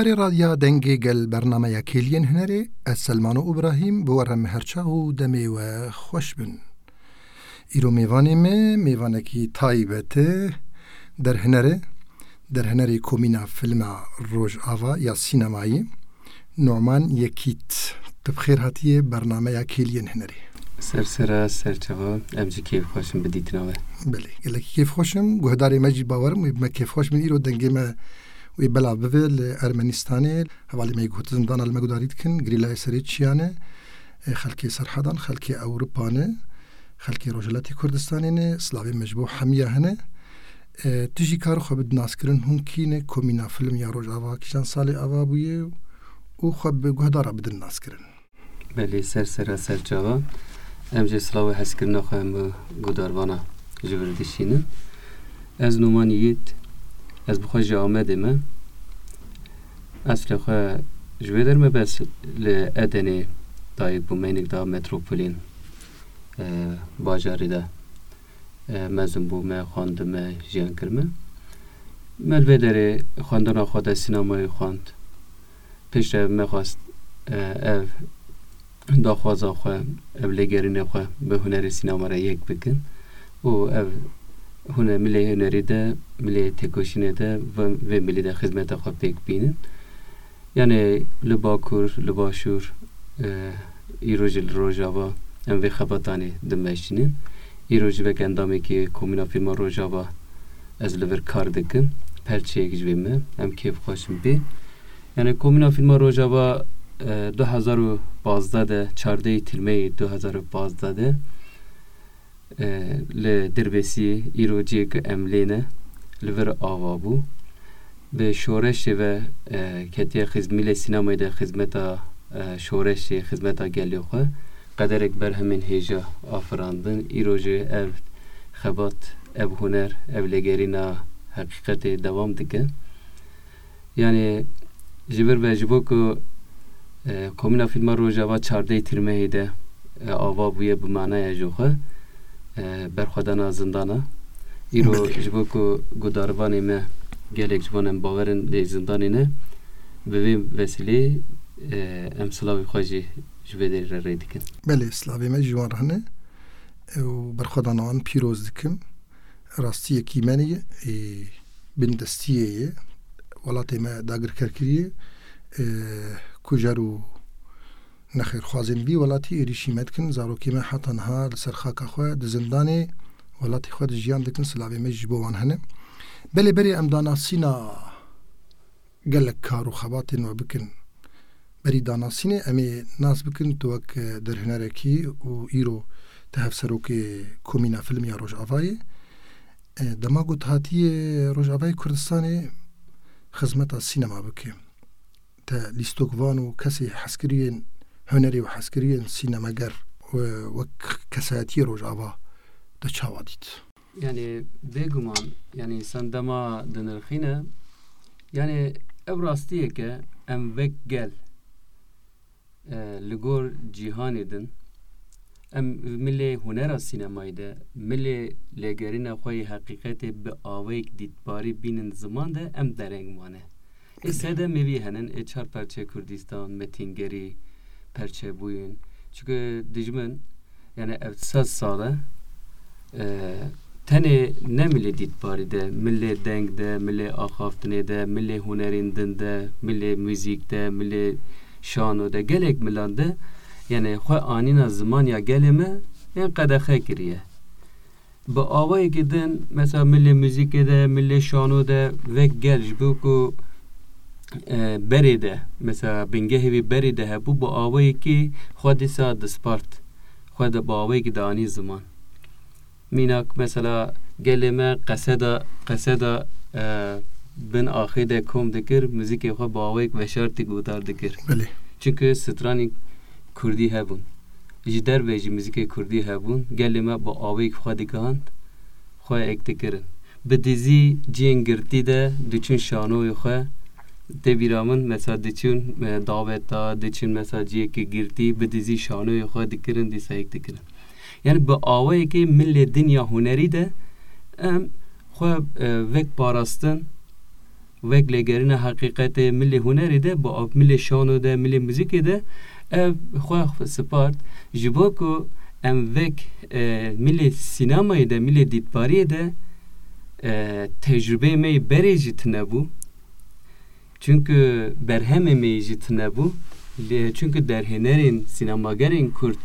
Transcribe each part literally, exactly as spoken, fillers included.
Rê Radya Dengê Gel bernameya Kêliyên Hunerê, ez Selmano Ibrahîm, bi we re me her çax û demê we xweş bin. Îro mêvanê me, mêvanekî taybet e, derhuner e, derhunerê Komîna Filma Rojava ya Sînemayî, Numan Yekît. Tu bi xêr hatiye bernameya Kêliyên Hunerê. Ser sera, ser çava, em jî kêfxweş in bi dîtina we. Belê, gelekî kêfxweş im. Guhdarê me jî bawer im wê bi me kêfxweş bin. Îro dengê me wê belav bibe li Ermenistanê. Hevalê me yê ku di zindana li me guhdarî dikin, girîlayê serê çiyan e. E, xelkê Serhedan, xelkê Ewropa ne, xelkê Rojhilatê Kurdistanê ne, silavê me ji bo hemiya hene. E, tu jî kar xwe bidin naskirin, hûn kî ne, Komîna Film ya Rojava kîjan salê ava bûye û xwe bi guhdara bidin naskirin. Belê, ser sera, ser çava. Em jê silav û hezkirina xwe hemû gudarvana ji vir dişînin. Ez Numan Yiğit, ez bi xwe ji Amedê me. Eslê xwe ji vê derê me, bes li Edenê dayik bûme, hinek da metropolên, e, bajarê de, e, mezin bûme, xwendime, jiyan kirime. Me li vê derê xwendina xwe de sînemayê xwend. Piştre me xwest, e, ev daxwaza xwe, ev lêgerînê xwe bi hunerê sînema re yek bikin û ev hune-, milê hunerî de, milê têkoşînê de, vê, vê milî de xizmeta xwe pêk bînin. Yanê li Bakur, li Başûr, e, îro jî li Rojava em vê xebatanê dimeşînin. Îro jî wek endamekî Komîna Fîlma Rojava ez li vir kar dikim. Perçeyek ji vê me, em kêfxweş in pê. Yani Komîna Fîlma Rojava, e, du hezar û pazdeh de, çardehê Tîrmeyê du hezar û pazdeh de, e, li Dirbêsiyê, îro cihê ku em lê ne, li vir ava bû. Bi şoreşê ve, e, ketiye xiz-, milê sînemayê de xizmeta, e, şoreşê, xizmeta gelê xwe. Qederek berhemên hêja afirandin. Îro jî ev xebat, ev huner, ev lêgerîna heqîqetê dewam dike. Yani ji vir ve ji bo ku, e, Komîna Fîlma Rojava çardehê Tîrmehê de, e, ava bûye bi manaya jî xwe, e, berxwedana zindana. Îro Belê. Ji bo ku gudarvanê me gelek ji wan em bawer in lê zindanê ne, bi vê vesîleyê, e, em silavê xwe jî ji vê derê re rê dikin. Belê, silavê me ji wan re hene, e, û berxwedana wan pîroz dikim. Rastiyekî me nî, ê, bindestiyê ye. Welatê me dagirker kiriye, ê, kujer û nexêrxwazên vî welatî êrîşî me dikin. Zarokê me heta niha li ser xaka xwe di zindanê welatê xwe de jiyan dikin. Silavê me jî ji bo wan hene. Belê berê em danasîna gelek kar û xebatên we bikin. Berî danasînê em ê nas bikin tu wek, e, derhunerekî û îro tu hevserokê Komîna Film ya Rojavayê. E, dema ku tu hatiyê Rojavayê Kurdistanê xizmeta sînema bike, te lîstok van û kesê hezkiriyên hunerî û hezkiriyên sînemeger we-, wek kesayetiyê Rojava te çawa dît? Yani bêguman, yani însan dema dinirxîne, yani ev rastiyeke em wek gel, e, li gor cîhanê din, em milê hunera sînemayî de, milê lêgerîna xwe yê heqîqetê bi awayek dîtbarî bînin ziman de, em dereng mane. Ê sedemê vî henin, ê çar perçe Kurdistan, Metîngerî, perçebûyîn. Çunke dijmin, yani ev sed sal e, e, tenê ne milê dîtbarî de, milê deng de, milê axaftinê de, milê hunerên din de, milê muzîk de, milê şano de, gelek milan de, yani xwe anîna ziman ya gelê me, yani qedexe kiriye. Bi awayekî din, mesela milê muzîkê de, milê şano de wek gel ji bo ku, e, berê de, mesela bingehê wî berê de hebû, bi awayekî xwe dîsa dispart. Xwe de bi awayekî dianî ziman. Mînak, mesela gelê me qeseda, qeseda, e, bin axê de kom dikir, muzîkê xwe bi awayek veşartî guhdar dikir. Belê. Çunku stranên kurdî hebûn. Ji derve jî muzîkê kurdî hebûn, gelê me bi awayek xwe digihand, xwe êk dikirin. Bi dizî cihên girtî de diçûn şanoyê xwe, tê bîra min, mesela diçûn, e, daweta, diçûn mesela cihekî girtî, bi dizî şanoyê xwe dikirin, dîsa êk dikirin. Yani bi awayekê milê dinya hunerî de em xwe, e, vek parastin, Wek lêgerîna heqîqetê milê hunerê de, bi av milê şano de, milê muzîkê de, ev xwe spart. Ji bo ku em wek, e, milê sînemayê de, milê dîtbariyê de, e, tecrûbeyê me yê berê jî tune bû. Çunku berhemê me yê jî tune bû. Lê, çunku derhênerên, sînemagerên kurd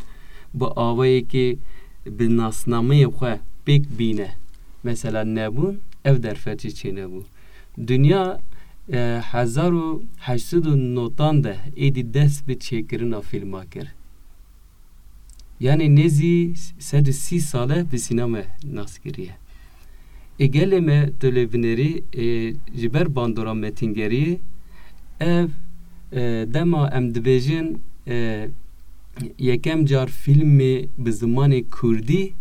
bi awayekî bi nasnameyê xwe pêk bîne, mesela nebûn, ev derfet jî çênebû. Dinya, e, hezar û heşt sed û notan de êdî dest bi çêkirina fîlma kir. Yanî nêzî sed û sî sal e bi sînema nas kiriye. Ê gelê me, tu lê binêrî, ê, ji ber bandora metîngeriyê, ev, e, dema em dibêjin, e, yekem car fîlmê bi zimanê kurdî,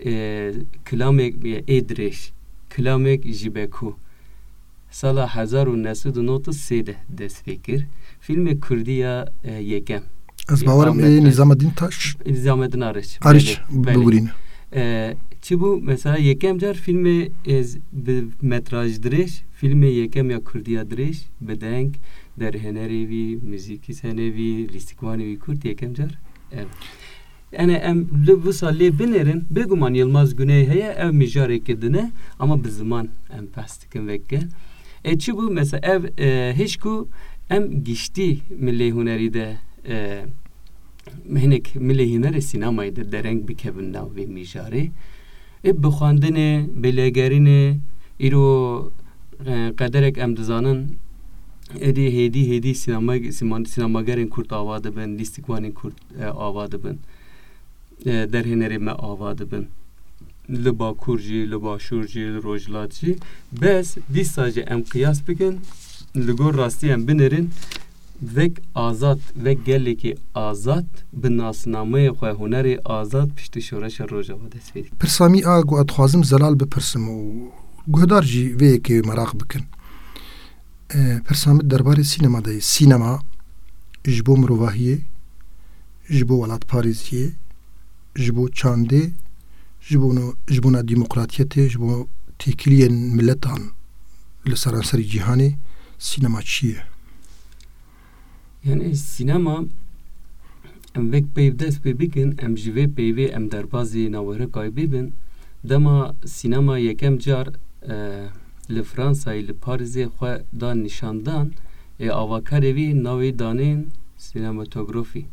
e, kilamek, e, ê dirêj, kilamek ji Beko. Sala hezar û neh sed û nod û sê de dest pê kir. Fîlmê kurdî ya, e, yekem. Ez Ê, bawerim Ahmet ê Arîç. Nîzameddîn Taş. Nîzameddîn Arîç. Arîç Belê, belê. Bibûrîne. E, çi bû? Mesela yekem car fîlmê ez bi metraj dirêj, fîlmê yekem ya kurdî ya dirêj, bi deng, derhênerê wî, muzîkî senê wî, lîstikvanê wî kurd yekem car ev. Yani em li wisa lê binêrin, bêguman Yilmaz Güney heye, ev mijareke din e, ama bi ziman em behs dikin veke. E, çi bû? Mesela ev, e, hêj ku em giştî milê hunerî de, e, hinek milê hunerê sînemayê de dereng bikevin nav vê mijarê. E, bi xwendinê, bi lêgerînê, îro, e, qederek em dizanin, êdî hêdî hêdî sînema-, sîman-, sînemagerên kurd ava dibin, lîstikvanên kurd, e, ava dibin. E, derhênerê me ava dibin. Li Bakur jî, li Başûr jî, li Rojhilat jî. Bes dîsa jî em qiyas bikin, li gor rastî em binêrin, vek azad, vek gelekî azad, bi nasnameyê xwe, hunerê azad piştî şoreşa Rojava dest pê dike. Pirsa min a ku ez dixwazim Zelal bipirsim û guhdar jî vê yekê meraq bikin. E, pirsa min derbarê sînema de ye. Sînema ji bo mirovahiyê, ji bo welatparêziyê, ji bo çandê, ji bo no-, ji bona demokratiyetê, ji bo têkiliyên miletan li seranserî cîhanê, sînema çi ye? Yani sînema, em vek peyv dest pê bikin, em ji vê peyvê em derbazî nawerekayê bibin. Dema sînema yekem car, e, li Fransayê, li Parîzê xwe da nîşandan, ê avakarê wî navê danên sînematografî.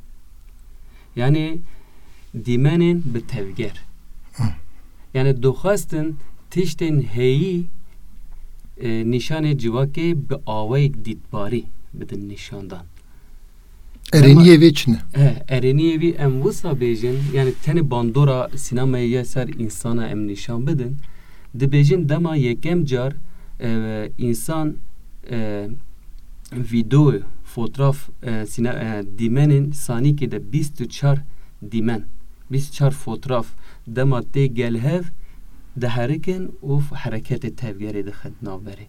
Yani dîmenên bi tevger. Hı. Yani dixwestin tiştên heyî, e, nîşanê civakê bi awayek dîtbarî bidin nîşandan. Erêniyê vê çi ne? He, erêniyê vî em wisa bêjin, yani tenê bandora sînemayê ya ser însana em nîşan bidin. Dibêjin dema yekem car, e, însan, e, vîdeo, fotraf, e, sîne-, e, dîmenên sanîkê de bîst û çar dîmen, bîst û çar fotraf dema tê gel hev diherikin û f-, hereketê tevgerê dixin navberê.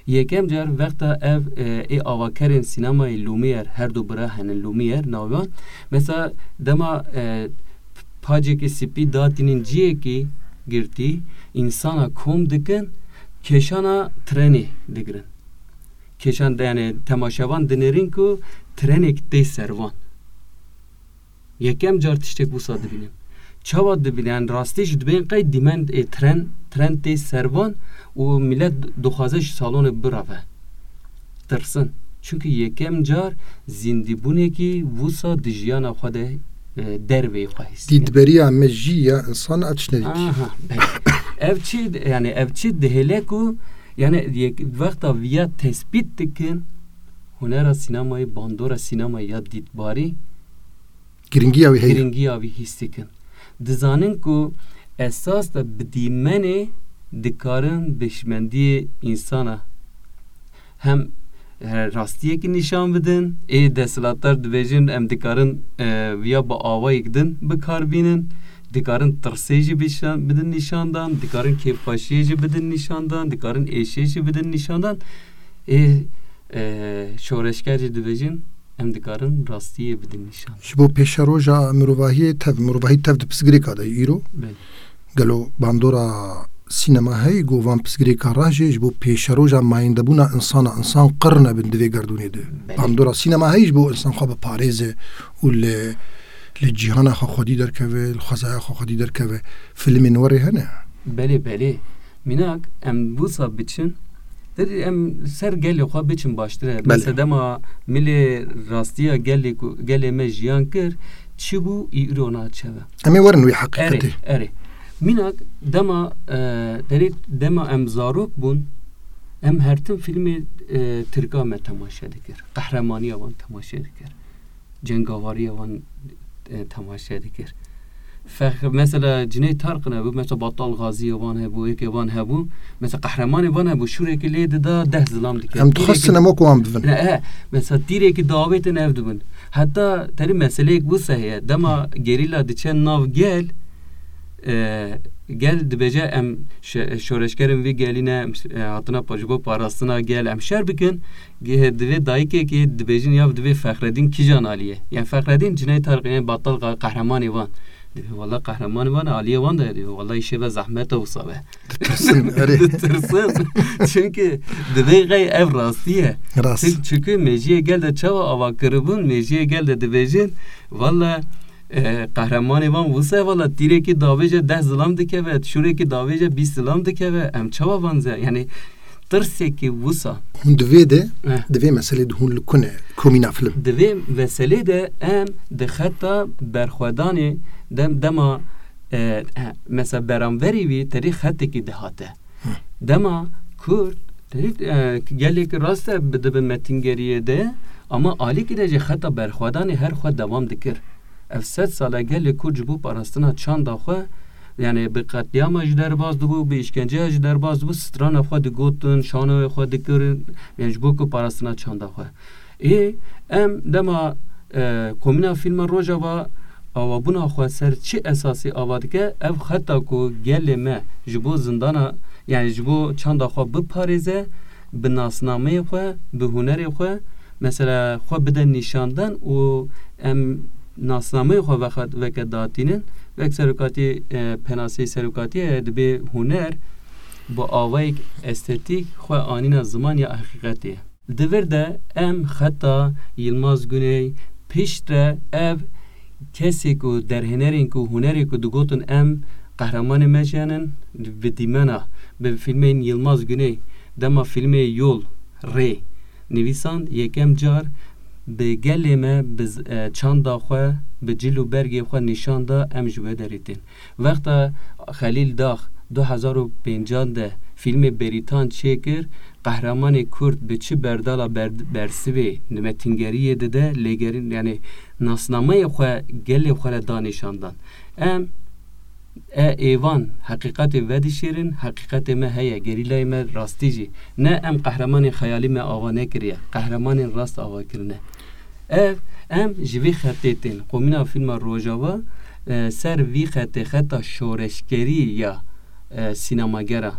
Yekem car wexta ev, e, ê avakerên sînemayê Lumière, her du bira hene Lumière navê wan. Mesela dema, e, pacekî spî datînin ciyekî girtî, însana kom dikin, kêşana trenê digirin. Kêşan de, yani temaşevan dinêrin ku trenek tê ser van. Yekem car tiştek wisa dibînin. Çawa dibînin? Yani rastî jî dibên qey dîmen, e, tren, tren tê ser van û milet dixwaze ji salonê bireve. Tirsin. Çunku yekem car zîndîbûnekî wisa di jiyana xwe de, e, derveyî xwe hîs dikin. Dîtberiya me jî ya însan a tiştine dîtî. Aha, belê. Ev çi, yani ev çi dihêle ku, yani yek, wexta viya tespît dikin, hunera sînemayê, bandora sînemayê ya dîtbarî, Giringiya wî heye. Giringiya wî hîs dikin. Dizanin ku esas de bi dîmenê dikarin bêşmendiyê însana hem, e, rastiyekî nîşan bidin. Ê desthilatdar dibêjin, em dikarin, e, viya bi awayek din bi kar bînin. Dikarin tirsê jî bişan-, bidin nîşandan, dikarin kêfxweşiyê jî bidin nîşandan, dikarin êşê jî bidin nîşandan. Ê, e, şoreşger jî dibêjin, em dikarin rastiyê bidin nîşan. Ji bo pêşeroja mirovahiyê tev, mirovahî tev di pirsgirêka de ye îro. Belê. Gelo bandora Sînema heyî ku van pirsgirêka re jî ji bo pêşeroja mayîndebûna insana, insan qir nebin di vê gerdûnê de. Bandora sînema heyî ji bo insan xwe biparêze û li, li cîhana xwe xwedî derkeve, li xwezaya xwe xwedî derkeve. Filmên werê hene. Belê, belê. Mînak, em wisa biçin, derê em ser gelê xwe biçin baştir e. Belê. Mesela dema milê rastiya gelê ku, gelê me jiyan kir, çi bû, îro naçe ve. Em ê werin wî heqîqetê. Erê, erê. Mînak, dema, e, derê dema em zarok bûn, em her tim filmê, e, tirka me temaşe dikir. Qehremaniya wan temaşe dikir. Cengavariya wan, e, temaşe dikir. Fex-, mesela Cüneyt Tarqin hebû, mesela Battal Gaziye wan hebû, êkê wan hebû, mesela qehremanê wan hebû, şûrekê lê dida deh zilam dikir. Em dixwestin em wek wan bibin. Ne, he, mesela tîrekî dawêtin ev dibin. Heta terî meseleyek wisa heye. Dema gerîla diçe nav gel, e, gel dibêje em şe-, şoreşgerên vî gelî ne, em, e, hatina pa-, ji bo parastina gel em şer bikin. Ge-, divê dayikekê dibêjin ya divê Fexredîn kîjan alî ye? Yani Fexredîn Cüneyt Tarqin, yani Battal Ga-, qehremanê wan. Divê wala qehremanê wan aliyê wan de divê wala îşê ve zehmet e wisa be. Ditirsin, erê. Ditirsin. Çünkü divê qey ev rastî ye. Rast. Çün-, çünkü mejiyê gel de çawa ava kiribûn, mejiyê gel de dibêjin, wala, e, qehremanê wan wisa ye, wala tîrekî davêje deh zilam dikeve, şûrekî davêje bîst zilam dikeve, em çawa van ze-, yani tirsekî wisa. Hûn di vê de, Eh. di vê meselê de hûn li ku ne, komîna film? Di vê meselê de em di xeta berxwedanê dem-, dema, e, e, mesela beramverî wî terî xetekî dihate. Hı. Dema Kurd, terî, e, gelek rast e bi-, dibe metingeriyê de, ama alîkî de jî xeta berxwedanê her xwe dewam dikir. Ev sed sal e gelê Kurd ji bo parastina çanda xwe, yani bi qetlîama jî derbas dibû, bi îşkenceya jî derbas dibû, strana xwe digotin, şanoyê xwe dikirin, yani ji bo ku parastina çanda xwe. Ê, em dema, e, Komîna Fîlma Rojava awabûna xwe ser çi esasî ava dike, ev xeta ku gelê me ji bo zindana, yani ji bo çanda xwe biparêze, bi nasnameyê xwe, bi hunerê xwe, mesela xwe bide nîşandan û em nasnameyê xwe vexa-, veke datînin, wek serokatî, e, penaseyê serokatiyê dibê huner bi awayek estetîk xwe anîna ziman ya heqîqetê. Di vir de em xeta Yilmaz Güney, piştre ev kesê ku derhênerên ku hunerê ku digotin em qehremanê me jî henin, bi dîmena, bi fîlmên Yilmaz Güney, dema fîlmê Yol, Rê, nivîsand, yekem car bi gelê me, bi z-, e, çanda xwe, bi cil û bergê xwe nîşan da, em ji wê derê tên. Wexta Xelîl Dax du hezar û pêncan de fîlmê Bêrîtan çêkir, qehremanê Kurd bi çi berdala ber-, bersivê, metingeriyê dide, lêgerîn, yani nasnameyê xwe, gelê xwe re da nîşandan. Em, e, êvan heqîqetê vedişêrin, heqîqetê me heye, gerîlayê me rastî jî. Ne em qehremanên xeyalî me ava nekiriye, qehremanên rast ava kirine. Ev, em ji vî xetê tên. Komîna Fîlma Rojava, e, ser vî xetê, xeta şoreşgerî ya, e, sînemagera.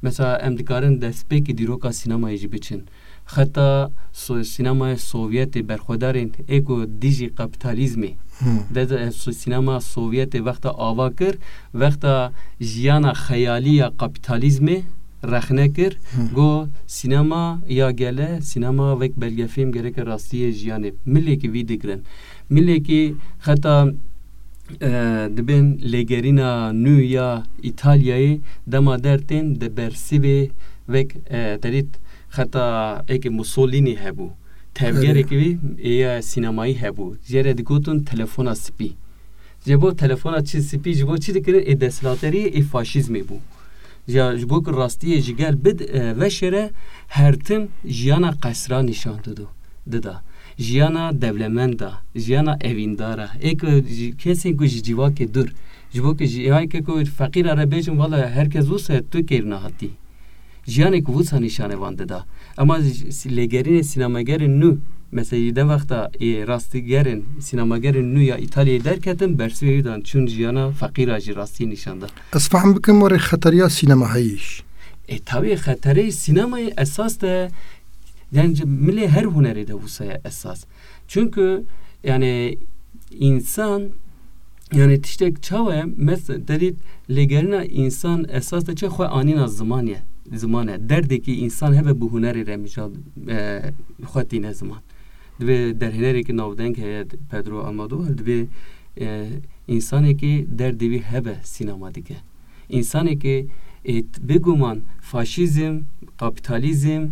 Mesela, em dikarin destpêkî dîroka sînemayê jî biçin. Xeta so-, sînemaya Sovyetê, berxwedarên ê ku dijî kapîtalîzmê, Hmm. de, de, so-, sînema Sovyetê wexta ava kir, wexta jiyana xeyalî ya kapîtalîzmê, rexne kir, Hı. got, sînema ya gele, sînema wek belgefîlm gereke rastiyê jiyanê. Milekî vî digirin. Milekî xeta, e, dibên lêgerîna nû ya Îtalyayê dema dertên di bersivê wek, e, terît xeta êkê Mussolini hebû. Tevgerekî Erê. Wî ya sînemayî hebû. Jê re digotin telefona spî. Ji bo telefona çi spî, ji bo çi dikirin? Ê desthilaterî, ê faşîzmê bû. Ya ji bo ku rastiyê ji gel bid, e, veşêre, her tim jiyana qesra nîşan dido, dida. Jiyana dewlemenda, jiyana evîndara. Ê ku ji, kesên ku ji civakê dûr. Ji bo ku ji, ya ke ku feqîra re bêjin, wala herkes wisa tu kêr nehatî. Jiyanek wisa nîşanê van dida. Ema j-, lêgerînê sînemagerên nû, mesela, ji dem wexta ê rastîgerên sînemagerên nû ya Îtalyayê derketin, bersivê wî dan çûn jiyana feqîra jî rastî nîşan da. Ez fehm bikim, were xeteriya sînemaheyî jî. E, tabii xeterê sînemayê esas de, yani, milê her hunerê de wisa ye esas. Çünkü, yani, insan Yani tiştek çawa ye? Mes-, te dît lêgerîna însan esas de çi xwe anîna ziman ye. Ziman e. Derdekî însan hebe bi hunerê re mijal, e, xwe tîne ziman. Divê derhênerekî navdeng heye, Pedro Almodovar, divê, e, însanekî derdê wî hebe sînema dike. Însanekî, e, bêguman faşîzm, kapîtalîzm,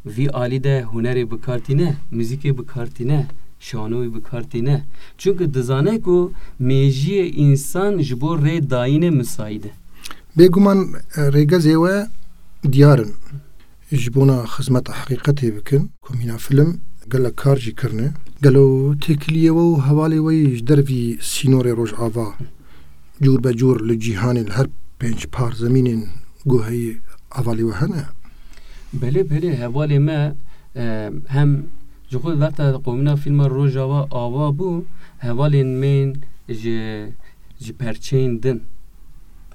vî alî de hunerê bi kar tîne, muzîkê bi kar tîne, şanoyê bi kar tîne. Çunku dizane ku mêjiyê însan ji bo rê dayînê misayîd e. Bêguman, e, rêgezê we diyar in. Ji bona xizmeta heqîqetê bikin, Komîna Film gelek kar jî kirine. Gelo têkiliyê we û hevalê we yî ji dervî sînorê Rojava cûr be cûr li cîhanê li her pênc par zemînên ku heyî hevalê we hene? Belê, belê, hevalê me, e, hem ji xwe wexta Komîna Fîlma Rojava ava bû, hevalên me yên ji, ji perçeyên din,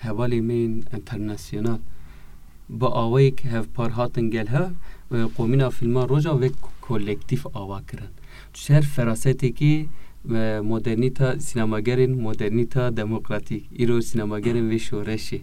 hevalên me yên enternasyonal, bi awayek hevpar hatin gel hev, e, Komîna Fîlma Rojava wek kolektîf ava kirin. Ji her ferasetekî, e, modernîta, sînemagerên modernîta demokratîk, îro sînemagerên vê şoreşê.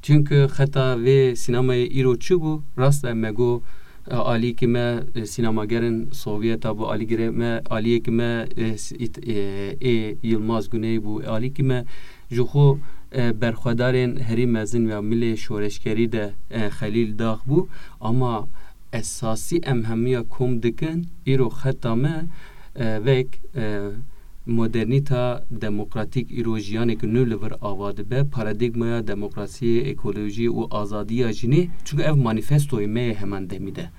Çunku xeta vê sînemayê îro çi bû? Rast e, me got, e, alîkî me, e, sînemagerên Sovyeta bû, alîgirê me, aliyekî me, e, s-, ît-, e, ê Yilmaz Güney bû, alîkî me ji xwe, e, berxwedarên herî mezin ya milê şoreşgerî de, e, Xelîl Dax bû, ama esasî em hemiya kom dikin, îro xeta me, e, vek, e, modernîta demokratîk îro jiyaneke nû li vir ava dibe, paradîgmaya demokrasiyê, ekolojiyê û azadiya jinê, çunku ev manîfestoyê me ye heman demî de.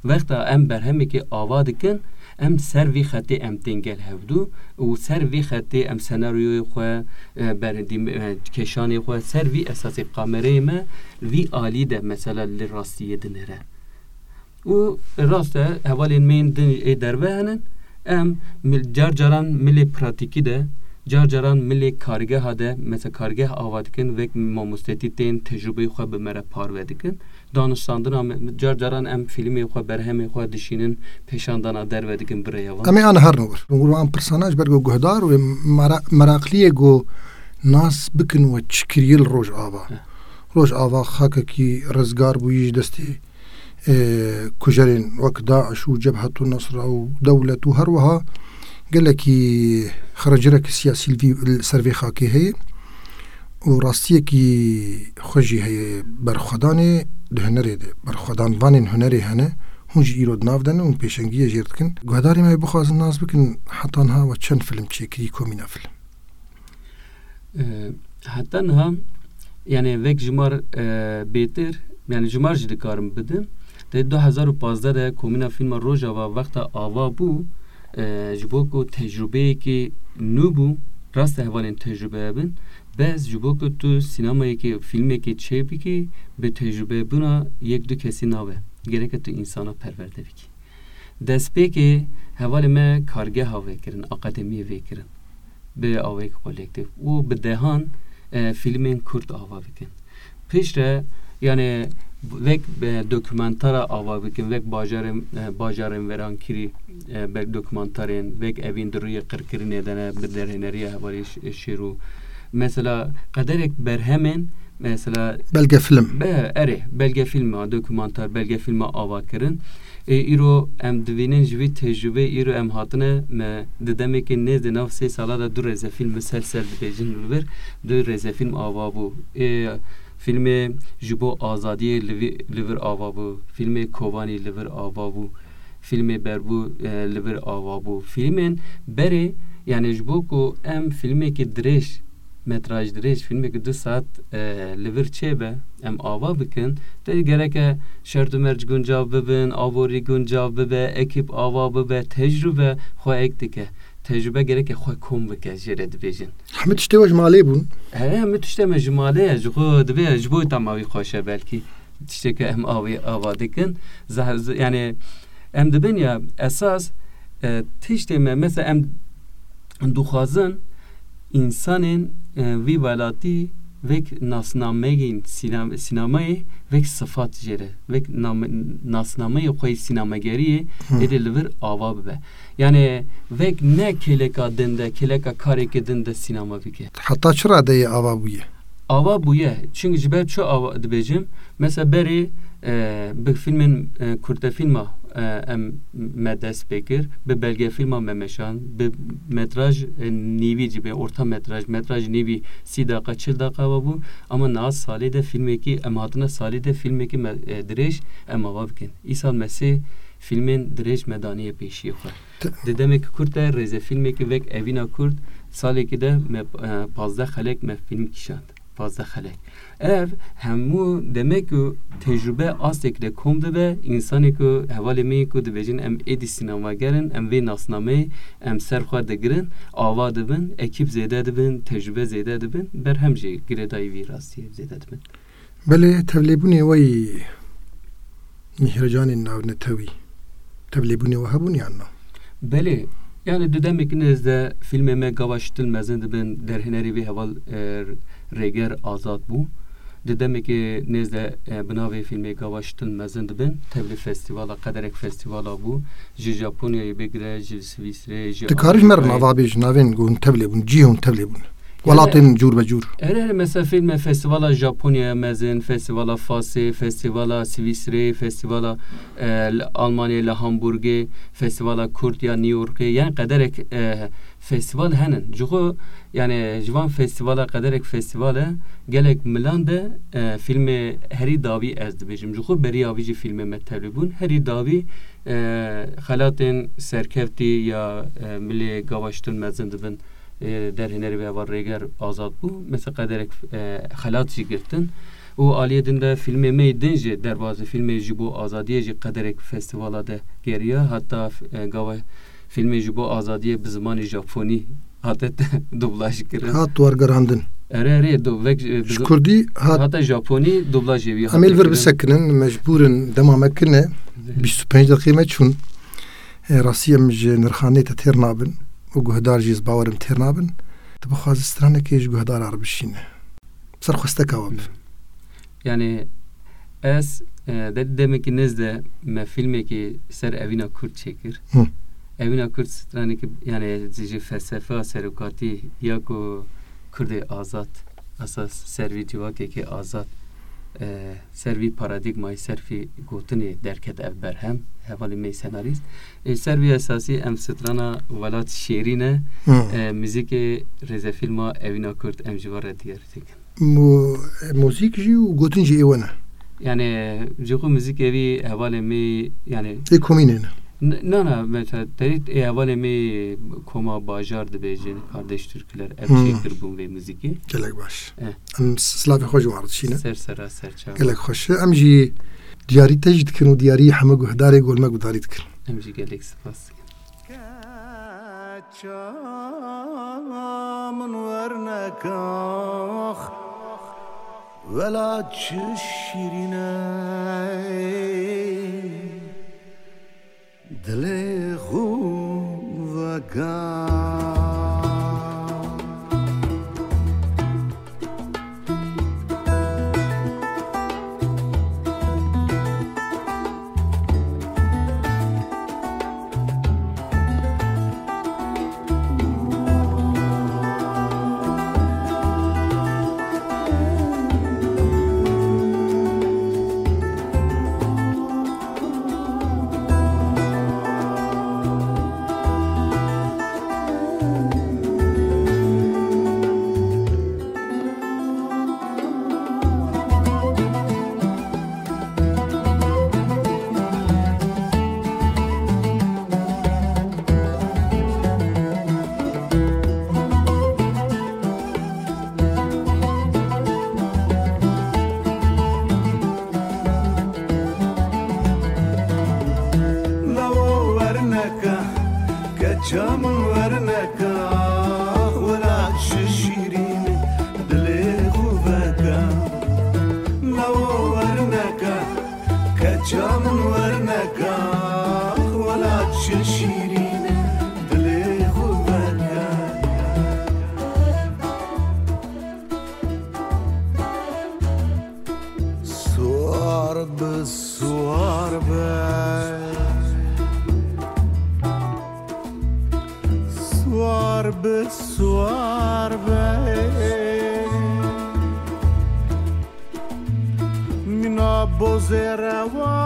Wexta em berhemekê ava dikin, em ser vî xetê em tên gel hevdû û ser vî xetê em senaryoyê xwe, e, ber-, dîm-, e, kêşanê xwe, ser vî esasê kamereyê me vî alî de mesela li rastiyê dinêre. Û rast e, hevalên me yên din ê derve henin, em mil-, car caran milê pratîkî de, car caran milê kargeha de, mesela kargeh ava dikin, wek mamostetî tên tecrûbeyê xwe bi me re parve dikin. Danûstandina me, car caran em fîlmê xwe, berhemê xwe dişînin, pêşandana derve dikin bi rêya van. Em ê an herin wir. Wan pirsana ji ber ku guhdar û mera-, merakliyê ku nas bikin we çi kiriye li Rojava. Eh. Rojava xakekî rizgar bûyî ji destê, e, kujerên wek DAIŞ û Cebhetu Nusra û dewlet û her wiha gelekî xercirek siyasî li vî, li ser vê xakê heye. û rastiyekî xwe jî heye berxwedanê di hunerê de. Berxwedanvanên hunerê hene, hûn jî îro di nav de ne, hûn pêşengiyê jêr dikin. Guhdarê me bixwazin nas bikin, heta niha we çend film çêkirî, Komîna Film? E, heta niha, yani vek jimar, e, bêtir, yani jimar jî dikarim bidim. Di du hezar û pazdeh de Komîna Fîlma Rojava wexta ava bû, e, ji bo ku tecrûbeyekî nû bû, rast e hevalên tecrûbe hebin, bes ji bo ku tu sînemayekê, fîlmekê çêbikî, bi tecrûbebûna yek du kesî nabe. Gereke tu însana perwerde bikî. Destpêkê hevalê me kargeha vekirin, akademiyê vekirin. Bi awayek kolektîf û bi dehan, e, fîlmên kurt ava bikin. Piştre, yani, wek, e, dokumentara ava bikin, wek bajarên, e, bajarên verankirî, e, wek dokumentarên, wek evîn di rûyê qirkirinê de ne, bi derhêneriya hevalê Ş-, Şêrû. Mesela, qederek berhemên, mesela, belgefilm. Be, erê, belgefilma, dokumentar, belgefilma ava kirin. Ê, îro em dibînin ji vî tecrûbeyê, îro em hatine, me di demekê nêz de nav sê sala de du rêzefîlm miselsil dibêjin li vir, du rêzefîlm ava bû. Ê, fîlmê Ji bo Azadiyê li vî, li vir ava bû, fîlmê Kovanî li vir ava bû, fîlmê Berbû, e, li vir ava bû. Fîlmên berê, yani ji bo ku em fîlmekî dirêj, metraj dirêj, fîlmekî du saet, e, li vir çêbe, em ava bikin, te gereke şert û merc guncav bibin, aborî guncav bibe, ekîp ava bibe, tecrûbe xwe ek dike. Tecrûbe gereke xwe kom bike, jê re dibêjin. Hemî tiştê we ji malê bûn? He, hemî tiştê me ji malê ye, ji xwe dibê, ji bo tama wî xweş e belkî. Tiştê ke em avê, ava dikin. Zah-, z-, yani, em dibin ya, esas, e, tiştê me, mesela em dixwazin, însanên, e, vî welatî Vek nasnameyên sînam-, sînemayê vek sifat jê re. Vek nam-, nasnameyê xwe yê sînemageriyê Hı. êdî li vir ava bibe. Yani vek ne kêleka din de, kêleka kareke din de sînema bike. Heta çi radeyê ava bûye? Ava bûye. Çünkü ji ber çi ava dibêjim? Mesela berê, e, bi filmên, e, kurtefîlma, e, em me dest pê kir, bi belgefîlma me meşand, bi metraj, e, nîvî jî, bi orta metraj, metraj nîvî sî deqa, çil deqa ava bû. Ama niha salê de filmekî, em hatine salê de filmekî me, e, dirêj em ava bikin. Îsal me sê filmên dirêj me daniye pêşiyê xwe. T- Di demekî kurt de rêzefîlmekî vek Evîna Kurt, salekî de me, e, pazdeh xelek me fîlm kişand. Pazdeh xelek. Ev hemû demek û tecrube astek de kom dibe, însanê ku hevalê me yê ku dibêjin em êdî sînemager in, em vê nasnameyê em ser xwe digirin, ava dibin, ekîp zêde dibin, tecrube zêde dibin, berhem jî girêdayî vî rastiyê zêde dibin. Belê, tevlêbûnê we yî Mîhrecanên navnetewî, tevlêbûnê we hebûn yan na? Belê, yani di demekî nêz de fîlmê me gava ştil mezin dibin, derhênerê vê heval, e, Rêger Azad bû. Di demekî nêz de, e, bi navê fîlmê gava ştil mezin dibin, tevlî festîvala, qederek festîvala bû. Ji Japonyayê bigire, ji Swîsrê, ji Dikarin ji me re Amerîkayê. Nava bêjin, navên ku hûn tevlê bûn, cihê hûn tevlê bûn. Yani, welatên cûr be cûr. Erê, erê, mesela fîlme festîvala Japonyaya mezin, festîvala Fasê, festîvala Swîsrê, festîvala, e, li Almanyayê, li Hamburgê, festîvala Kurd ya New Yorkê. Yani qederek, e, festîval henin. Ji xwe, yani ji van festîvala qederek festîval e, gelek milan de, e, fîlmê herî dawî ez dibêjim. Ji xwe beriya vî jî fîlmê me tevlî bûn. Herî dawî, e, xelatên serkevtî ya, e, milê gava ştil mezin dibin. e, derhênerê vê heval Rêger Azad bû. Mesela qederek, e, xelat jî girtin. Û aliyê din de fîlmê me yê din jî derbazî fîlmê Ji Bo Azadiyê jî qederek festîvala de geriya. Heta, e, gava fîlmê Ji Bo Azadiyê bi zimanê Japonî hate dublaj kirin. Hat wergerandin. Erê, erê, do-, vek, e, bi Ji zi-, Kurdî hat hata Japonî dublajê wî Em ê hate li vir kirin. Bisekinin, mecbûr in, dema me kirine, Zehir. Bîst û pênc deqê me çûn. E, rastî em ji nirxanê te têr nabin û guhdar jî ez bawerim têr nabin. Tu bixwazî stranekê ji guhdara re bişîne. Ser xwesteka we bi. Yani ez, e, de-, demekî nêz de me fîlmekî ser Evîna Kurd çêkir. Hı. Evîna Kurd stranekî, yani ji felsefeya serokatî ya ku Kurdê azad, esas ser vî civakekî azad, e, ser vî paradîgmayê, ser vî gotinê derket ev berhem, hevalê me yê senarîst. Ê, ser vî esasî em strana Welat Şêrîn e, Hı. e, muzîkê rêzefîlma Evîna Kurd em ji we re diyar dikin. Mu-, muzîk jî û gotin jî ê we ne? Yani, ji xwe muzîkê vî hevalê me, yani Ê komînê ne? N-, na, na, mesela, te-, ê hevalê me koma bajar dibêjin, Kardeş Türküler, ev Hmm. çêkir bûn vê muzîkê. Gelek baş. Eh. Em s-, silavê xwe ji wan re dişîne. Ser sera, ser çava. Gelek xweş e. Em jî diyarî te jî dikin û diyarî hemû guhdarê Golmek Gudarî dikin. Em jî gelek spas dikin. Keça min wernekax, welat çi şîrîn e. Dilê xwe vega. Lawo werneka, keça min werneka, welat çi şîrîn e, dilê xwe veka. Lawo werneka, keça min werneka, welat çi şîrîn e, dilê xwe veka. Bi suar be, mîna bozê rewa,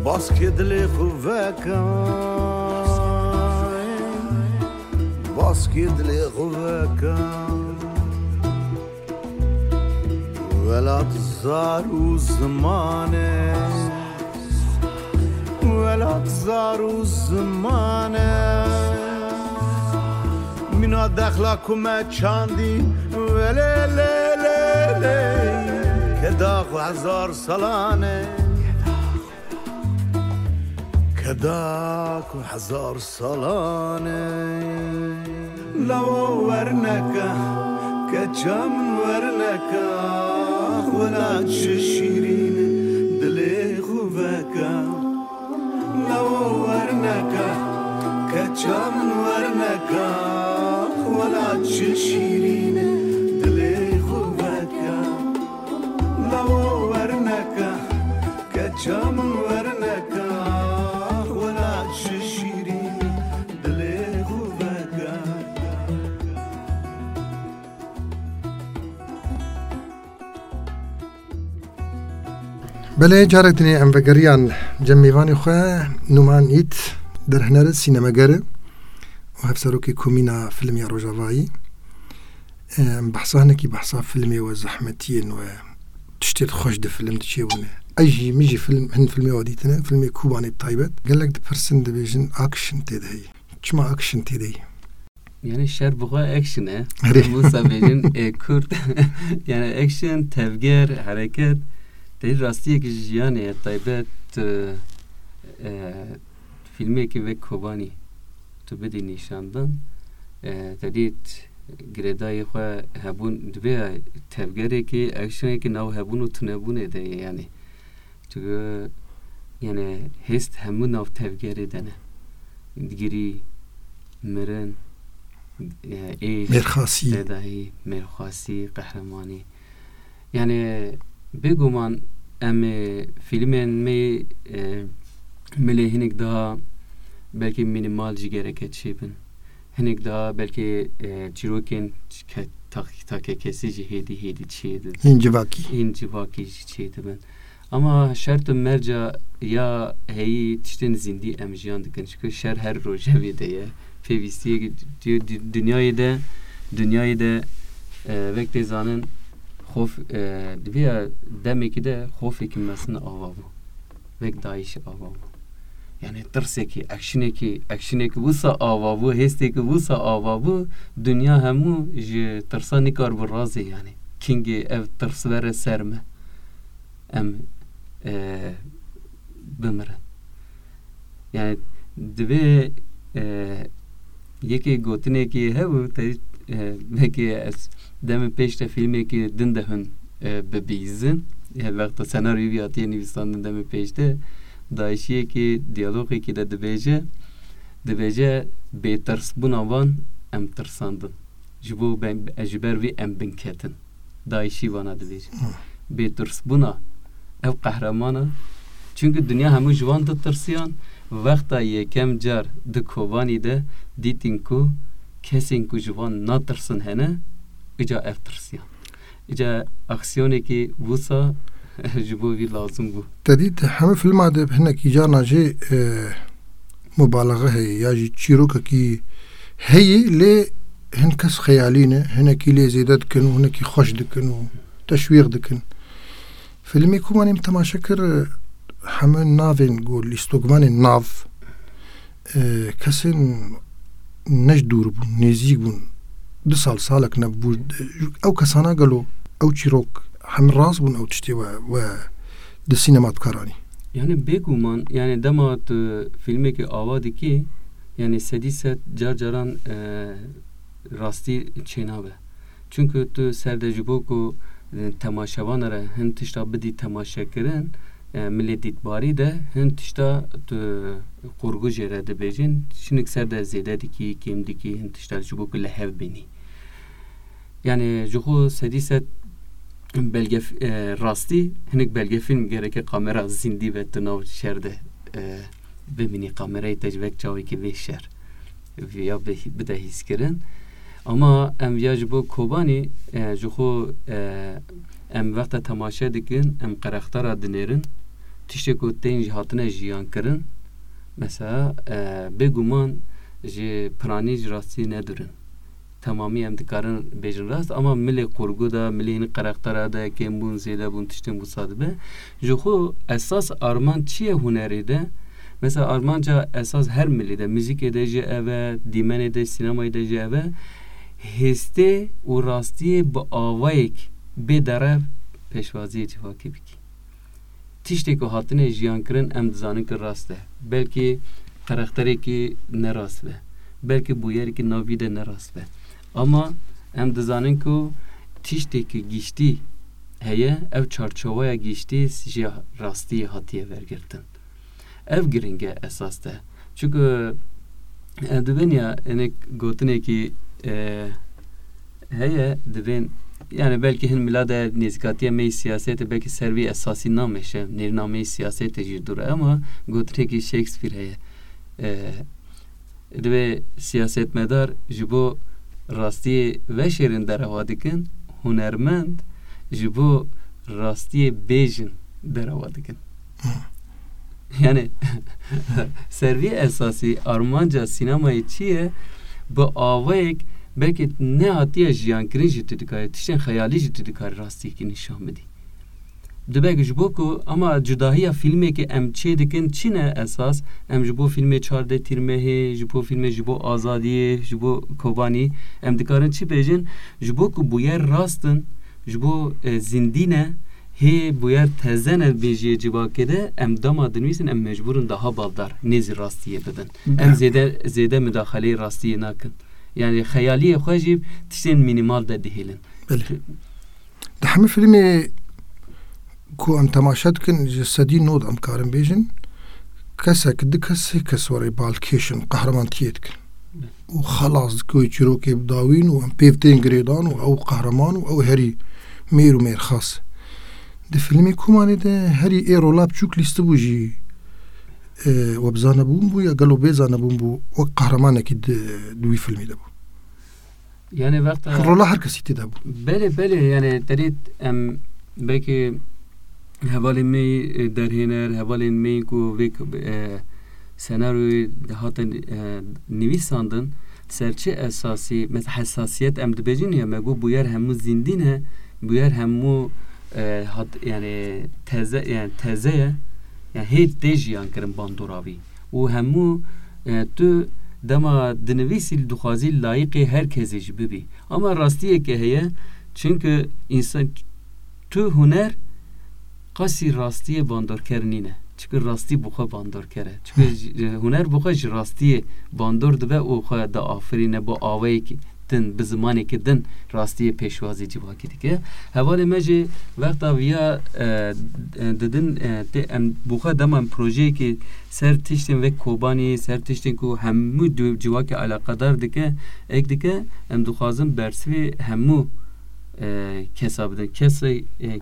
baskê dilê xwe veke, baskê dilê xwe veke. Welat zar û ziman e, welat zar û ziman e. Mîna dexla ku me çandî, welê lê lê lê. Keda ku hezar salan e, keda ku hezar salan e. Lawo werneke, keça min werneke, xwela çi şîrîn e, dilê xwe veke. Lawo werneke, keça min werneke, xwela çi şîrîn e, dilê xwe veke. Lawo werneke, keça min werneke, xwela çi şîrîn e, dilê xwe veke. Belê, carek dinê em vegeriyan cem mêvanê xwe, Numan Ît, derhner e, sînemeger e û hevserokê Komîna Filmê ya Rojavayî. Em behsa hinekî behsa filmê we, zehmetiyên we, tiştê xweş di film de çêbûne. Ez jî, min jî film, hin filmê we dîtine, filmê Kobanê bi taybet. Gelek dipirsin, dibêjin action tê de heye. Çima action tê de heye? Yani şer bi xwe action e. Erê. Wisa bêjin, e, kurt. Yani action, tevger, hereket. Te rastiyek ji jiyanê ye, taybet, e, e, filmekî wek Kobanî tu bidî nîşandan, e, te dît girêdayî xwe hebûn, divê tevgerekî, actionekî nav hebûn û tunebûnê de ye, yani. Çünkü, yani, hêst hemû nav tevgerê de ne. Digirî, mirin, e, êş, Mêrxasî. Tedahî, mêrxasî, qehremanî. Yani, bêguman em ê filmên me, e, milê hinek daha belkî minimal jî gereke çêbin. Hinek daha belkî, e, çîrokên ke-, tak-, takekesî jî hêdî hêdî çêdibin. Hîn civakî. Hîn civakî jî çêdibin. Ama şert û merca ya heyî tiştên zindî em jiyan dikin. Çünkü şer her rojevê de ye. Pêvîstiyê di-, di-, dinyayê de, dinyayê de, e, wek tê zanin, xof, e, di vê demekî de xofekî mesin ava bû. Wek DAIŞ ava bû. Yani tirsekî, actionekî, actionekî wisa ava bû, hêstekî wisa ava bû, dinya hemû ji tirsa nikar bi razê yani. Kingê ev tirs were ser me. Em, e, bimirin. Yani divê, e, yekê gotinekî hebû, te, e, belkî ez demê pêş de filmekî din de hûn, e, bibîzin. E, wexta senaryoyê wî hatiye nivîsandin demê pêş de, DAIŞiyekî diyalogekî de dibêje, dibêje, bêtirsbûna van em tirsandin. Ji bo ben, ji ber vî em binketin. DAIŞî vana dibêje. Hı. Bêtirsbûna ev qehreman e. Çünkü dinya hemû ji wan ditirsiyan. Wexta yekem car di Kobanî de dîtin ku kesên ku ji wan natirsin hene, îca ev tirsiyan. Îca aksiyonekî wisa ji bo vî lazim bû. Te dît hemû filma de hinekî carna jê, e, mubalaxe heye ya jî çîrokekî heye, lê hin kes xeyalî ne, hinekî lê zêde dikin û hinekî xweş dikin û teşwîq dikin. Filmê ku me nîm temaşe kir, hemû navên ku lîstokvanên nav, e, kesên ne ji dûr bûn, nêzîk bûn. Du sal, salek nebû. Ew kesana gelo, ew çîrok, hemû rast bûn ew tiştê we, we di sînema dikaranî? Yani bêguman, yani dema tu filmekî ava dikî, yani sedî sed car caran, e, rastî çênabe. Çünkü tu ser de ji bo ku, e, temaşevana re hin tişta bidî temaşekirin, e, milê dîtbarî de hin tişta tu qurgu jê re dibêjin, şinik ser de zêde dikî, kêm dikî, hin tişta ji bo ku li hev bînî. Yani ji xwe sedî sed belgef-, e, rastî hinek belgefîlm gereke kamera zindî ve tu nav şer de e, bimînî kamerayê te ji vek çawekî vê şer viya bide hîskirin. Ama em viya ji bo Kobanî, e, ji xwe, e, em wexta temaşe dikin, em qereqtara dinêrin, tiştê ku tên jî hatine jiyan kirin, mesela, e, bêguman ji piranî ji rastiyê nedurin. Temamî em dikarin bêjin rast, ama milê qurgu de, milê hîn qereqtara de kêmbûn, zêdebûn, tiştên wisa dibe. Ji xwe esas armanc çi ye hunerê de? Mesela armanca esas her milî de, muzîkê de jî ev e, dîmenê de, sînemayê de jî ev e, hêstê û rastiyê bi awayek bê derev pêşwaziyê civakê bikî. Tiştê ku hatine jiyan kirin em dizanin ku rast e. Belkî qerekterekî ne rast be. Belkî bûyerekî nav vî de ne rast be. Ama em dizanin ku tiştê ku giştî heye, ev çarçoveya giştî ji rastiyê hatiye vergirtin. Ev giring e esas de. Çunku, e, dibên ya, hinek gotinekî, e, heye, dibên, yani belkî hin mila de nêzîkatiya me yê siyasetê belkî ser vî esasî nameşe, nêrîna me yê siyasetê jî dûr e, ama gotinekî Shakespeare heye. E, divê siyasetmedar ji bo rastiyê veşêrin derewa dikin, hunermend ji bo rastiyê bêjin derewa dikin. Yani, ser vî esasî armanca sînemayê çi ye? Bi awayek belkî nehatiye jiyankirin jî tu dikarî, tiştên xeyalî jî tu dikarî rastiyekî nîşan bidî. Dibe ji bo ku, ama cudahiya fîlmê ke em çê dikin çi ne esas? Em ji bo fîlmê çardeh Tîrmehê, ji bo fîlmê ji bo azadiyê, ji bo Kobanî, em dikarin çi bêjin? Ji bo ku bûyer rast in, ji bo, e, zindî ne, hê bûyer teze ne mejiyê civakê de, em dema dinivîsin, em mecbûr in daha baldar nêzî rastiyê bibin. Em Belê. zêde, zêde mudaxaleyê rastiyê nakin. Yani xeyaliyê xwe jî tiştên mînîmal de dihêlin. Belê. Di hemî fîlmê ku em temaşe dikin, ji sedî nod em karin bêjin, kesek, du kes, sê kes werê balkêş in, qehreman tiyê dikin. Û xelas dikin wê çîrokê bi dawîn û em pê tên girêdan û ew qehreman û ew herî mêr û mêrxas. Di fîlmê Kobanî de herî ê rola biçûk lîstibû jî, e, we bi zanebûn bû ya gelo bê zanebûn bû, wek qehremanekî di, di wî fîlmê de bû. Yani wexta Rola her kesî tê de bû. Belê, belê, yani terî em belkî hevalên me, e, derhêner, hevalên me ku vê, e, senaryoyê dihatin, e, nivîsandin, ser çi esasî, mesela hesasiyet em dibêjin ya, me got bûyer hemû zindî ne, bûyer hemû, e, hat, yani teze, yani teze ye, yani hê tê jiyan kirin bandora vî. Û hemû, e, tu dema dinivîsî dixwazî layiqê her kesê jî bibî. Ama rastiyeke heye, çunku însan, tu huner qasî rastiyê bandorker nîne. Çunku rastî bi xwe bandorker e. Çunku Hı. ji, huner bi xwe ji rastiyê bandor dibe û xwe diafirîne bi awayekî din, bi zimanekî din rastiyê pêşwazî civakî dike. Hevalê me jî wexta viya, e, e, didin, e, tê em bi xwe dema em projeyekî ser tiştên wek Kobanî, ser tiştên ku hemû du civakê eleqedar dike, ek dike, em dixwazin bersivê hemû, e, kesa bidin. Kesê, e,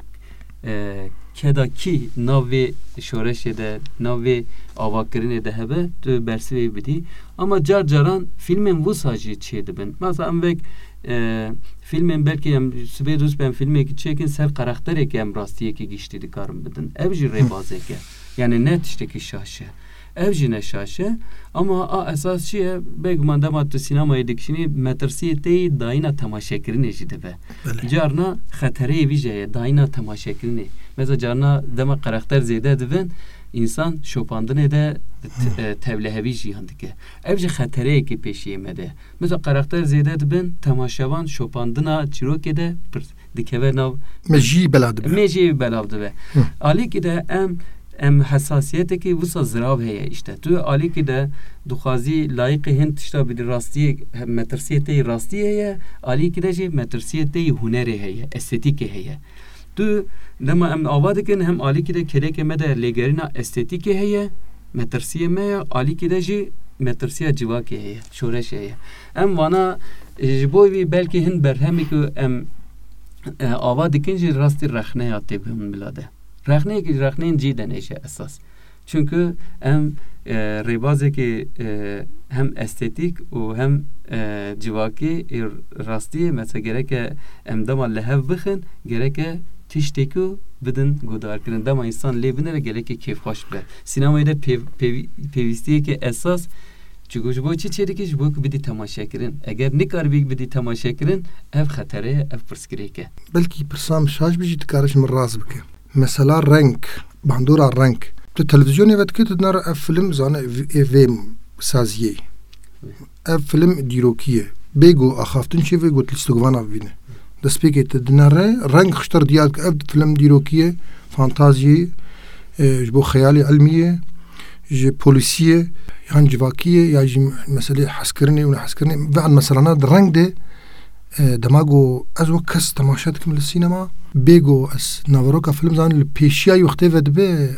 e, keda kî nav vê şoreşê de, nav vê avakirinê de hebe, tu bersivê bidî. Ama car caran fîlmên wisa jî çêdibin. Mesela em wek, e, fîlmên belkî em sibê dûst be em fîlmekî çêkin ser karakterekî em rastiyekî giştî dikarin bidin. Ev jî Hı. rêbazek e. Yani ne tiştekî şaş e. Ev jî ne şaş e. Ama a esas çi ye? Bêguman dema tu sînemayê dikişînî, metirsiyê te yî dayîna temaşekirinê jî dibe. Belê. Carna xetereyê vî jî heye, dayîna temaşekirinê. Mesela carna dema karakter zêde dibin, însan şopandinê de t-, Hı. e, tevlihevî jiyan dike. Ev jî xetereyekê pêşiyê me de. Mesela karakter zêde dibin, temaşevan şopandina çîrokê de pir dikeve nav. Me jî belav dibe. Me jî belav dibe. Hı. Alîkî de em, em hesasiyetekî wisa zirav heye işte. Tu alîkî de dixwazî layiqê hin tişta bidî rastiyê, metirsiyê te yî rastiyê heye, alîkî de jî metirsiyê te yî hunerê heye, estetîkê heye. Tu dema em ava dikin, hem alîkî de kêlekê me de lêgerîna estetîkê heye, metirsiyê me ye, alîkî de jî metirsiya civakê heye, şoreşê heye. Em vana, e, ji bo vî belkî hin berhemê ku em, e, ava dikin jî rastî rexneya tê guhên bila de. Rexneyekî ji rexneyên cî de nêşe esas. Çunku em, e, rêbazekê, e, hem estetîk û hem, e, civakî, e, rastiyê, mesela gereke em dema li hev bixin, gereke tiştekî bidin guhdarkirin. Dema însan lê binêre gelekî kêfxweş bibe. Sînemayê de pêv-, pêv-, pêwîstiyeke esas, çunku ji bo çi çêdikî? Ji bo ku bidî temaşekirin. Eger nikaribî bidî temaşekirin, ev xetere ye, ev pirsgirêk e. Belkî pirsa min şaş bî jî, dikare ji min rast bike. Mesela reng, bandora reng. Tu televizyonê vedikê, tu dinare ev film zane, ev, ev vê saziyê. Ev film dîrokî ye. Bêgo axaftin çê vê got lîstikvana bibîne. Destpêkê tu dinare reng xiştir diyar dike. Ev film dîrokî ye, fantaziyê, e, ji bo xeyalê ilmî ye, ji polîsî ye, yan civakî ye, ya jî meselê hezkirinê û nehezkirinê. Ve an meselana di reng de, e, dema ku ez wek kes temaşe dikim li sînema, bêgo ez naveroka film zanim li pêşiya wextê ve dibe,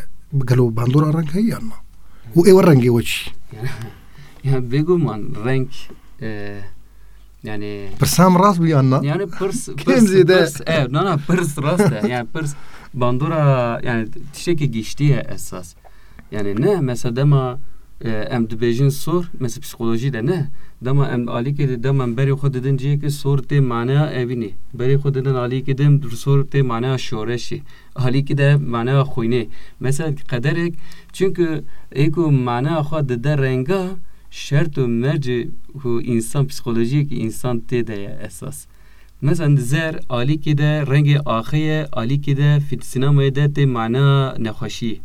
gelo bandora reng heye yan na? Û ê we rengê we çi? Yani bêguman reng, e, yani Pirsa min rast bû yan na? Yani pirs, Kêm pirs, zêde. Pirs, e, na, na, pirs rast e. Yani pirs bandora, yani tiştekî giştî ye esas. Yani ne, mesela dema, e, em dibêjin sor, mesela psîkolojî de ne. Dema em alîkê de, dema em berê xwe didin cihekî, sor tê maneya evînê. Berê xwe didin alîkê de, sor tê maneya şoreşê. Alîkî de maneya xwînê. Mesela qederek, çunku ê ku maneya xwe dide renga, şert û mercê ku însan, psîkolojiyekî însan tê de ye esas. Mesela zer, alîkî de rengê axê ye, alîkî de fî-, sînemayê de tê mana nexweşiyê,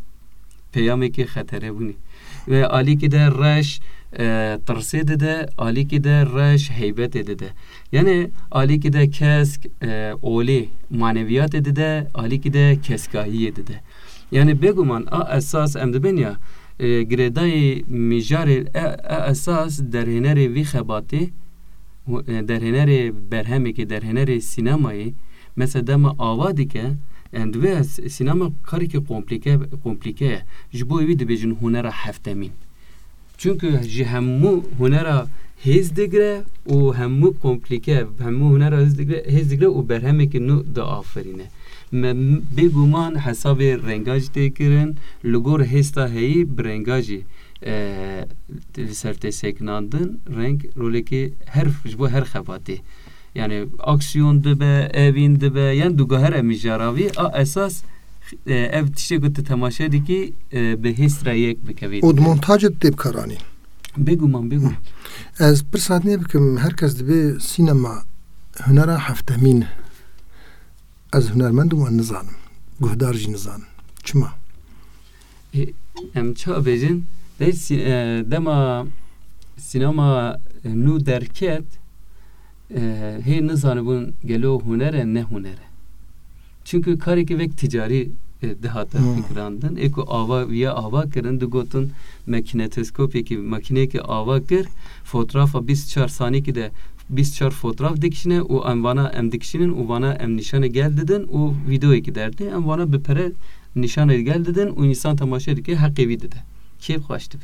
peyamekê xeterebûnê. Ve alîkî de reş, e, tirsê dide, alîkî de reş heybetê dide. Yani alîkî de kesk, e, olê maneviyatê dide, alîkî de keskahiyê dide. Yani bêguman a esas em dibên ya, e, girêdayî mijarê e, e esas derhênerê vî xebatê, û, e, derhênerê berhemekê, derhênerê sînemayê, mesela dema ava dike, yani divê s-, sînema karekî komplîke, komplîke ye. Ji bo wî dibêjin hunera heftemîn. Çunku ji hemû hunera hêz digre û hemû komplîke, hemû hunera hêz digre, hêz digre û berhemekî nû diaferîne. Me, bêguman hesabê renga jî tê kirin, li gor hêsta heyî bi renga jî, e, li ser tê sekinandin, reng rolekê her, ji bo her xebatê. Yani aksiyon dibe, evîn dibe, yani dugahere mijara vî, a esas, e, ev tiştê ku tu temaşe dikî, e, bi hêst re yek bikevî. Û di montajê de tê bikaranîn. Bêguman, bêguman. Ez pirsa dinê bikim, her kes dibê sînema hunera heftemîn. Ez hunermend im, ez nizanim. Guhdar jî nizanim. Çima? E, em ça bêjin, de sî-, e, dema sînema, e, nû derket, e, hê nizanibûn gelo huner e, ne huner e. Çunku karekî wek ticarî, e, dihate Hmm. fikirandin. Ê ku ava, viya ava kirin, digotin me kineteskopekî, makîneyekî ava kir, fotografa bîst çar sanîkî de bîst çar fotoğraf dikişîne û em vana em dikişînin û vana em nîşanê gel didin û vîdeoyekî derdê. Em vana bi pere nîşanê gel didin û însan temaşe dike, heqê wî dide. Kêf xweş dibe.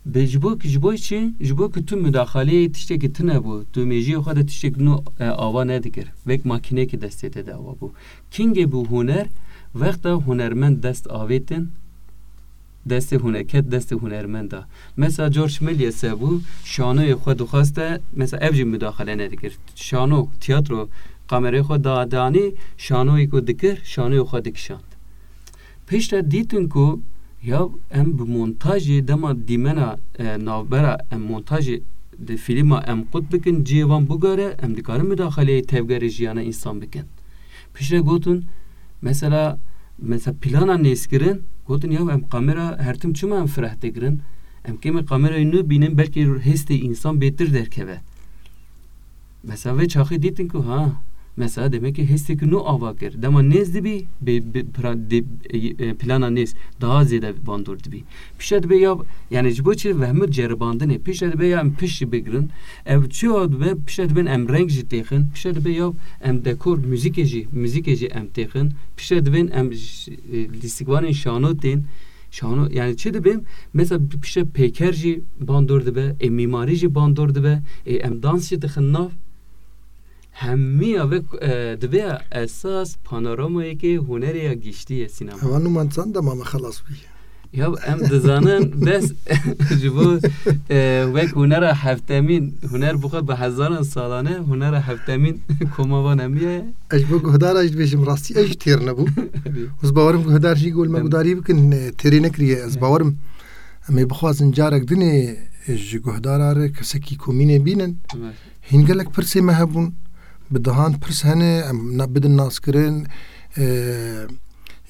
Be ji bo, ji bo çi? Ji bo ku tu mudaxaleyê tiştekî tune bû, tu mêjiyê xwe de tiştek nû, e, ava nedikir. Wek makînekî destê te de ava bû. Kingê bû huner, wexta hunermend dest avêtin, destê hune-, ket destê hunermenda. Mesela George Méliès bû, şanoyê xwe dixwaste, mesela ev jî mudaxale nedikir. Şano, tiyatro, kamerayê xwe da-, danî, şanoyê ku dikir, şanoyê xwe dikişand. Piştre dîtin ku ya em bi montajê dema dîmena, e, navbera em montajê di fîlma em qut bikin, cihê wan bugare, em dikarin mudaxaleyê tevgerê jiyana însan bikin. Piştre gotin, mesela, mesela plana nêzkirin, gotin ya em kamera her tim çima em fireh digirin? Em kêmê kamerayê nû bînin, belkî hêstê însan bêtir derkeve. Mesela vê çaxê dîtin ku ha, mesela demek ki hêstekî nû ava kir. Dema nêz dibî, bê, bê, pra-, dê, e, e, plana nêz daha zêde bandor dibî. Piştre dibe ya, yani ji bo çi vehmir ceribandinê. Piştre dibe ya em pişt jî bigirin. Ev çi dibe, piştre dibin em reng jî têxin. Piştre dibe ya em dekor, muzîkê jî, muzîkê jî em têxin. Piştre dibin em j-, e, lîstikvanên şano tên. Şano, yani çi dibe? Mesela piştre peyker jî bandor dibe, e, mîmarî jî bandor dibe, e, em dans jî dixin nav. Hemiya ve, e, dibe esas panoramayekê hunerê ya giştî ye sînema. Heval Numan, çend dema me xelas bî? Ya em dizanin bes ji bo, e, wek hunera heftemîn, huner bi xwe bi hezaran salan e, hunera heftemîn koma van hemiye. Ez ji bo guhdara jî dibêjim, rastî ez jî têr nebûm. Û ez bawerim guhdar jî gol me Em- gudarî bikin, e, têrê nekiriye. Ez Em- bawerim em ê bixwazin carek dinê, e, ji guhdara re kesekî komînê bînin. Evet. Hîn gelek pirsê me hebûn. Bi dehan pirs hene, em na-, bidin naskirin, e,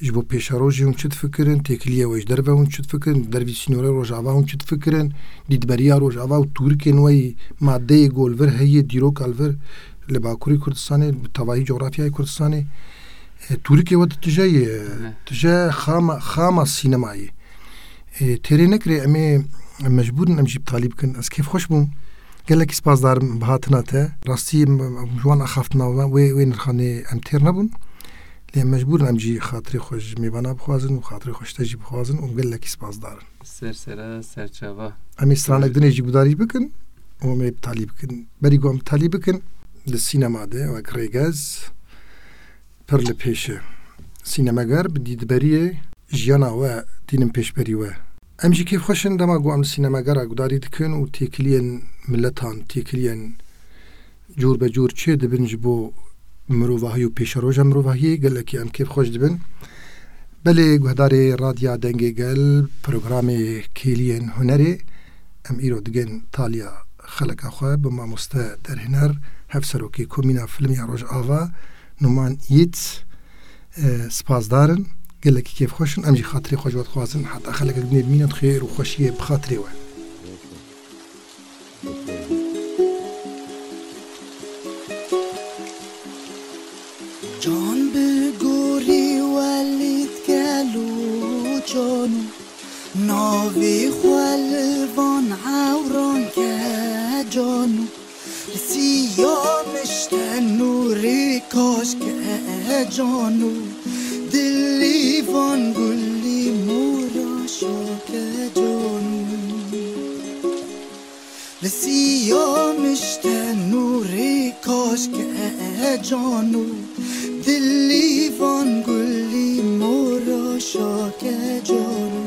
ji bo pêşerojê hûn çi difikirin, têkiliye we ji derve hûn çi difikirin, dervî sînorê Rojava hûn çi difikirin, dîtberiya Rojava û tûrikên we yî, madeyê ku li vir heye, dîroka li vir li Bakurê Kurdistanê, bi tevahî cografyayê Kurdistanê, e, tûrikê we di tije ye, Evet. tije xama, xama sînemayê. E, têrê nekirê, em ê, em mecbûr in em jî bi talî bikin. Ez kêfxweş bûm. Gelekî spasdar im bi hatina te. Rastî em, em ji wan axaftina we, wê, wê nirxanê em têr nebûn. Lê em mecbûr in em jî xatirê xwe ji mêvana bixwazin û xatirê xwe ji te jî bixwazin û gelekî spasdar in. Ser sera, ser çava. Em ê stranek dinê jî gudarî bikin û em ê bi talî bikin. Berî ku em bi talî bikin, di sînema de wek rêgez, pir li pêş e. Sînemeger bi dîtberiyê jiyana we tînin pêşberî we. Em jî kêfxweş in dema ku em li sînemegera gudarî dikin û têkiliyên miletan, têkiliyên cûr be cûr çê dibin ji bo mirovahî û pêşeroja mirovahiyê, gelekî em kêfxweş dibin. Belê guhdarê Radya Dengê Gel, programê Kêliyên Hunerê, em îro digên taliya xeleka xwe bi mamoste derhêner, hevserokê Komîna Filmiya Rojava, Numan Yiğit, e, spasdar in. Gelekî kêfxweş in. Em jî xatirê xwe ji we dixwazin. Heta xelekek dinê bimînin, xêr û xweşiyê bi xatirê we. Can bi gorî welî dike lo cano, navê xwe li van ewran ke cano. Siya mişte nûrê kaş ke cano, dilî van gulî mora şa ke cano. Li siya mişte nûrê kaş ke cano, dilî van gulî mora şa ke cano.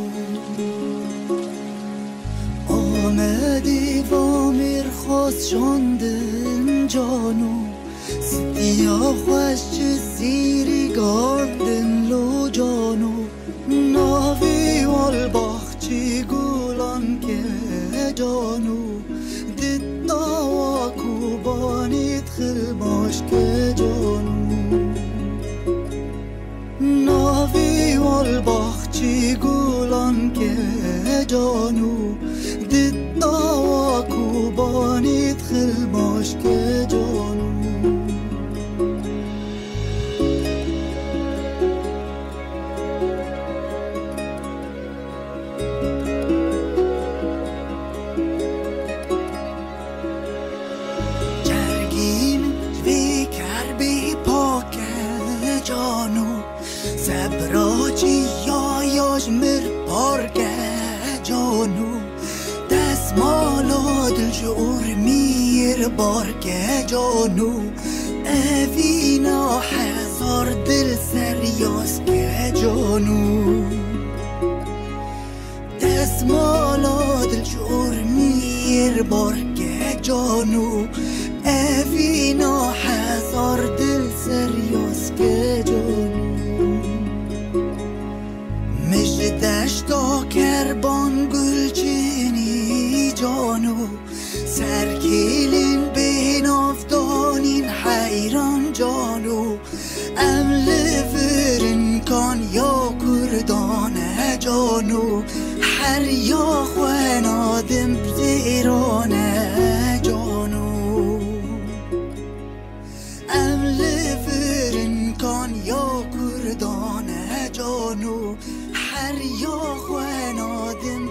Amedê va mêr xwest şandin cano, stiya xweş ji sîrî gandin lo cano. Navê wal baxçî gulan ke cano, di dawa Kobanê dixil baş ke cano. Navê wal baxçî gulan ke cano, di dawa Kobanê dixil baş ke cano. Cergî min ji vê kerbê pak e cano, sebra çiya ya ji mir park e cano. Destmala dil ji urmiyê bar ke cano, evîna hezar dil seryaz ke cano. Destmala dil ji urmiyê bar ke cano, evîna hezar dil seryaz ke cano. Min ji deşta kerban gul çinî cano, serkêlên bênav danîn heyran cano. Em li vir in kan ya Kurdan e cano, her ya xwe nadim zêran e cano. Em li vir in kan ya Kurdan e cano, her ya xwe nadim